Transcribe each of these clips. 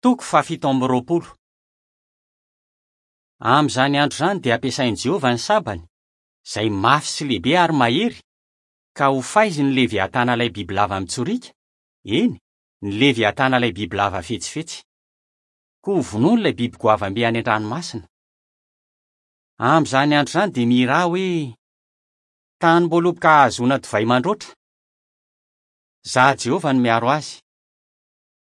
Toko fahafito amby roapolo. Amin'izany andro izany dia hampiasain'i Jehovah ny sabany, izay mafy sy lehibe ary mahery, ka hofaiziny ny Leviatana ilay bibilava mitsoriaka, eny, ny Leviatana ilay bibilava fetsifetsy. Koa hovonoiny ilay biby goavam-be any an-dranomasina. Amin'izany andro izany dia mihirà hoe, Tanim-boaloboka hahazoana divay mandroatra. Izaho Jehovah no miaro azy.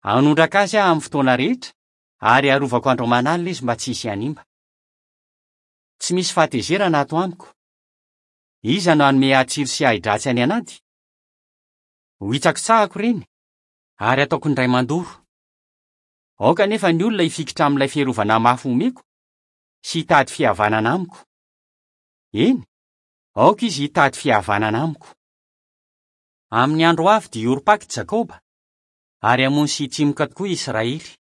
Hanondraka azy aho amin'ny fotoana rehetra, ary harovako andro aman'alina izy mba tsy hisy hanimba. Tsy misy fahatezerana ato amiko. Iza no hanome ahy tsilo sy ahi-dratsy any an'ady? Hohitsakitsahako ireny, ary hataoko indray mandoro. Aoka anefa ny olona hifikitra amin'ilay fiarovana mafy omeko, sy hitady fihavanana amiko. Eny, aoka izy hitady fihavanana amiko. Amin'ny andro ho avy dia hiorim-paka i Jakoba, ary hamono sy hitsimoka tokoa i Israely.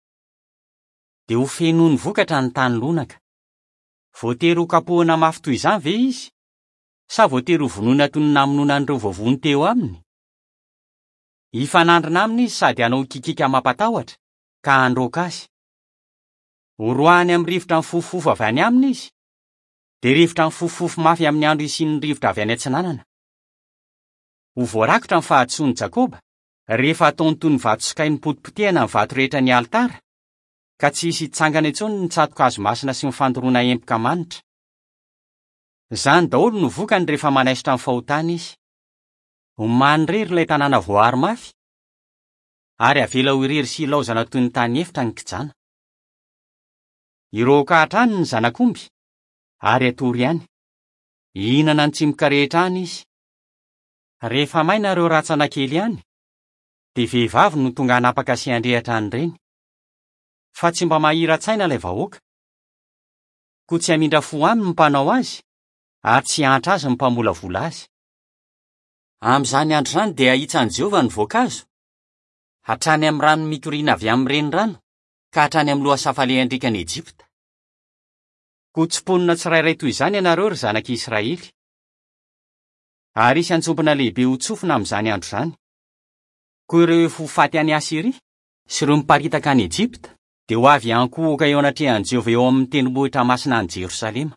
Dia ho fenoiny vokatra ny tany lonaka. Voatery hokapohina mafy toy izany ve izy? Sa voatery hovonoina toy ny namonoana an'ireo voavono teo aminy? Hifanandrina aminy izy sady hanao hikikiaka mampatahotra, ka handroaka azy. Horoahiny amin'ny rivotra mifofofofo avy any aminy izy, dia rivotra mifofofofo mafy amin'ny andro hisian'ny rivotra avy any atsinanana. Ho voarakotra ny fahadisoan'i Jakoba, rehefa ataony toy ny vato sokay nopotipotehana ny vato rehetra ny alitara, ka tsy hisy hitsangana intsony ny tsato-kazo masina sy ny fandoroana emboka manitra. Izany daholo no vokany rehefa manaisotra ny fahotana izy. Ho manirery ilay tanàna voaaro mafy, ary avela ho irery sy hilaozana toy ny tany efitra ny kijana. Hirohoka hatrany ny zanak'omby, ary hatory any. Hihinana ny tsimoka rehetra any izy. Rehefa maina ireo rantsana kely any, dia vehivavy no tonga hanapaka sy handrehatra an'ireny. Fa tsy mba mahira-tsaina ilay vahoaka. Koa tsy hamindra fo aminy ny mpanao azy, ary tsy hiantra azy ny mpamolavola azy. Amin'izany andro izany dia hahitsan'i Jehovah ny voankazo, hatrany amin'ny rano mikoriana avy amin'ny renirano ka hatrany amin'ny lohasaha falehan-driakan'i Egypta. Koa tsimponina tsirairay toy izany ianareo, ry zanak'i Israely. Ary hisy anjombona lehibe hotsofina amin'izany andro izany. Koa ireo efa ho faty any Asyria sy ireo miparitaka any Egypta dia ho avy hiankohoka eo anatrehan'i Jehovah eo amin'ny tendrombohitra masina any Jerosalema.